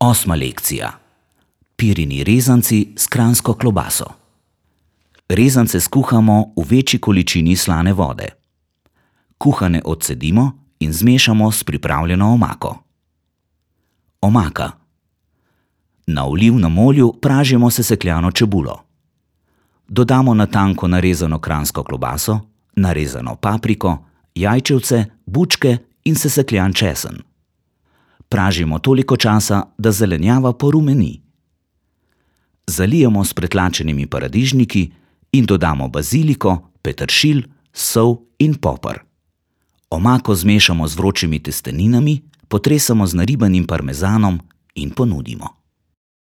Osma lekcija. Pirini rezanci s kranjsko klobaso. Rezance skuhamo v večji količini slane vode. Kuhane odcedimo in zmešamo s pripravljeno omako. Omaka. Na olivnem olju pražimo sesekljano čebulo. Dodamo na tanko narezano kranjsko klobaso, narezano papriko, jajčevce, bučke in sesekljan česen. Pražimo toliko časa, da zelenjava porumeni. Zalijemo s pretlačenimi paradižniki in dodamo baziliko, peteršilj, sol in poper. Omako zmešamo z vročimi testeninami, potresemo z naribanim parmezanom in ponudimo.